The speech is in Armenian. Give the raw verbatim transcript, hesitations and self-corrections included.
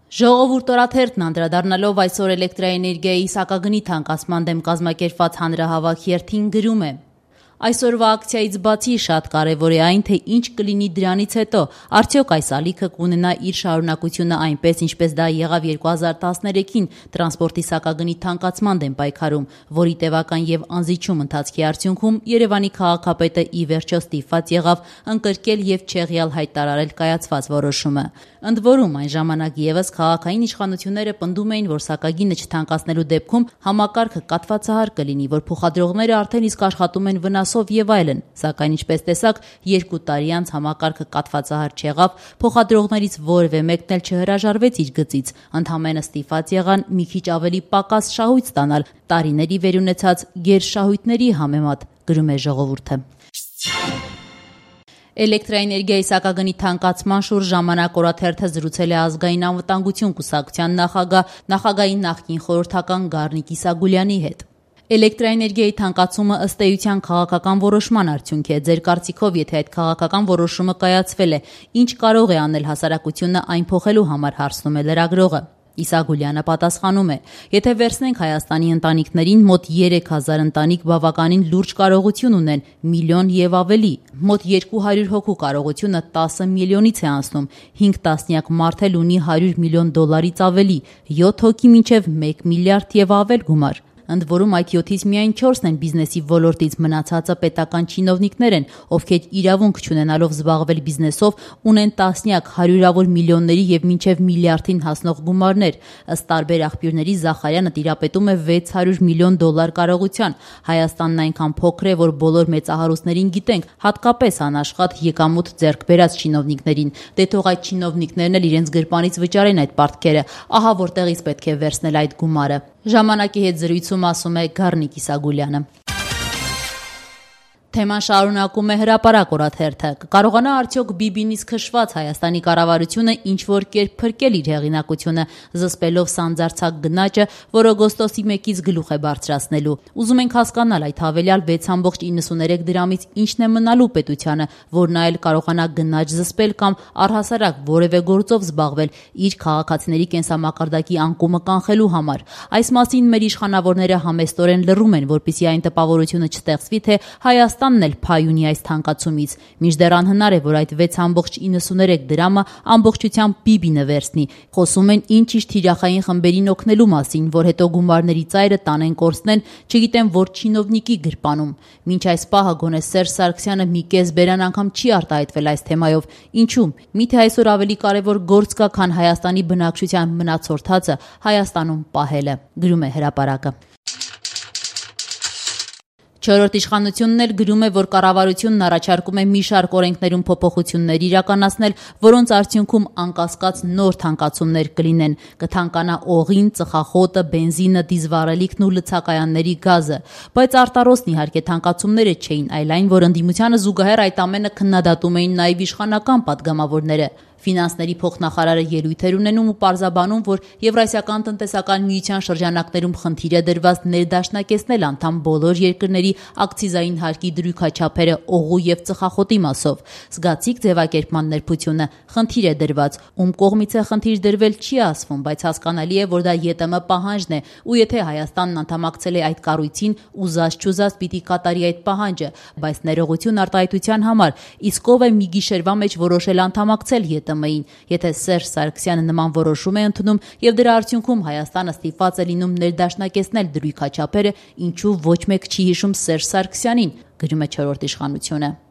Ժողովուրդ օրաթերթն անդրադառնալով այսօր էլեկտրաէներգիայի սակագնի թանկացման դեմ կազմակերպված հանրահավաք երթին գրում է. Այսօրվա ակցիայից բացի շատ կարևոր է այն, թե ինչ կլինի դրանից հետո, արդյոք այս ալիքը կունենա իր շարունակությունը այնպես, ինչպես դա եղավ երկու հազար տասներեքին տրանսպորտի սակագնի թանկացման դեմ պայքարում, որի տևական եւ անզիջում ընթացքի արդյունքում Երևանի քաղաքապետը ի վերջո ստիպված եղավ ընկրկել եւ չեղյալ հայտարարել կայացված որոշումը։ Ընդ որում, այն ժամանակ եւս քաղաքային իշխանությունները պնդում էին, որ սակագինը չթանկացնելու դեպքում համակարգը կաթվածահար կլինի, որ փոխադրողները արդեն իսկ աշխատում են վնասով եւ այլն, սակայն ինչպես տեսակ, երկու տարի անց համակարգը կաթվածահար չեղավ, փոխադրողներից որևէ մեկն էլ չհրաժարվեց իր գծից, ընդհանրապես ստիպված եղան մի քիչ ավելի պակաս շահույթ ստանալ տարիների վերունեցած գերշահույթների համեմատ, գրում է Ժողովուրդը։ Էլեկտրաէներգիայի սակագնի թանկացման շուրջ ժամանակ օրաթերթը զրուցել է ազգային անվտանգություն կուսակցության նախագահ, նախագահի նախկին խորհրդական Գառնիկ Իսագուլյանի հետ։ Էլեկտրաէներգիայի թանկացումը ըստ էության քաղաքական որոշման արդյունք է։ Ձեր կարծիքով, եթե այդ քաղաքական որոշումը կայացվել է, ինչ կարող է անել հասարակությունը այն փոխելու համար, հարցնում է լրագրողը։ Իսագուլյանը պատասխանում է. Եթե վերցնենք Հայաստանի ընտանիքներին, մոտ երեք հազար ընտանիք բավականին լուրջ կարողություն ունեն, միլիոն եւ ավելի, մոտ երկու հարյուր հոգու կարողությունը տասը միլիոնից է անցնում, հինգ տասնյակ մարդ էլ ունի հարյուր միլիոն դոլարից ավելի, յոթ հոգի մինչեւ մեկ միլիարդ եւ ավել գումար։ Ընդ որում այդ յոթից միայն չորսն են բիզնեսի ոլորտից, մնացածը պետական չինովնիկներ են, ովքեր իրավունք չունենալով զբաղվել բիզնեսով ունեն տասնյակ հարյուրավոր միլիոնների եւ մինչեւ միլիարդին հասնող գումարներ։ Ըստ տարբեր աղբյուրների Զախարյանը տիրապետում է վեց հարյուր միլիոն դոլար կարողության։ Հայաստանն այնքան փոքր է, որ բոլոր մեծահարուստներին գիտենք, հատկապես անաշխատ եկամուտ ձեռք բերած չինովնիկներին։ Դե թող այդ չինովնիկներն էլ իրենց գրպանից վճարեն այդ պարտքերը, ահա որտեղից պետք է վերցնել այդ գումարը։ Ժամանակի հետ զրույցում ասում է Գառնիկ Իսագուլյանը։ Թեման շարունակում է Հրապարակ օրաթերթը։ Կկարողանա արդյոք Բիբինից քշված Հայաստանի կառավարությունը ինչ-որ կերպ փրկել իր հեղինակությունը, զսպելով սանձարձակ գնաճը, որ օգոստոսի մեկից գլուխ է բարձրացնելու։ Ուզում ենք հասկանալ այդ հավելյալ վեց կόμma իննսուներեք դրամից ինչն է մնալու պետությանը, որ նա էլ կարողանա գնաճ զսպել կամ առհասարակ որևէ գործով զբաղվել իր քաղաքացիների կենսամակարդակի անկումը կանխելու համար։ Այս մասին մեր իշխանավորները համեստորեն լռում են, որպեսզի այն տպավորությունը չստեղծվի, թե Հայաստանն էլ փայ ունի այս թանկացումից, մինչդեռ անհնար է, որ այդ վեց կόμma իննսուներեք դրամը ամբողջությամբ Բիբինը վերցնի։ Խոսում են ինչ-ինչ թիրախային խմբերին օգնելու մասին, որ հետո գումարների ծայրը տանեն կորցնեն, չգիտեմ որ չինովնիկի գրպանում։ Մինչ այս պահը գոնե Սերժ Սարգսյանը մի կես բերան անգամ չի արտահայտվել այս թեմայով։ Ինչու՞։ Միթե այսօր ավելի կարևոր գործ կա, քան Հայաստանի բնակչության մնացորդածը Հայաստանում պահելը, գրում է Հրապարակը։ Չորրորդ իշխանությունն էլ գրում է, որ կառավարությունն առաջարկում է մի շարք օրենքներում փոփոխություններ իրականացնել, որոնց արդյունքում անկասկած նոր թանկացումներ կլինեն։ Կթանկանա օղին, ծխախոտը, բենզինը, դիզվառելիքն ու լցակայանների գազը։ Բայց արտարոսն իհարկե թանկացումները չէին, այլ այն, որ ընդդիմությանը զուգահեռ այդ ամենը քննադատում էին նաև իշխանական падգամավորները։ Ֆինանսների փոխնախարարը ելույթեր ունենում ու պարզաբանում, որ Եվրասիական տնտեսական միության շրջանակներում խնդիր է դրված ներդաշնակեցնել անդամ բոլոր երկրների ակցիզային հարկի դրույքաչափերը օղու եւ ծխախոտի մասով։ Զգացիկ ձևակերպման ներբությունը խնդիր է դրված, ում կողմից է խնդիր դրվել չի ասվում, բայց հասկանալի է, որ դա ԵՏՄ պահանջն է, ու եթե Հայաստանն անդամակցել է այդ կառույցին, ուզած-չուզած պիտի կատարի այդ պահանջը, բայց ներողություն արտահայտության համար, իսկ ով է մի գիշերվա մեջ որոշել անդամակցել ԵՏՄ-ին, եթե Սերժ Սարգսյանը նման որոշում է ընդունում եւ դրա արդյունքում Հայաստանը ստիպված է լինում ներդաշնակեցնել դրույքաչափերը, ինչու ոչ մեկ չի հիշում Սերժ Սարգսյանին, գրում է չորրորդ իշխանությունը։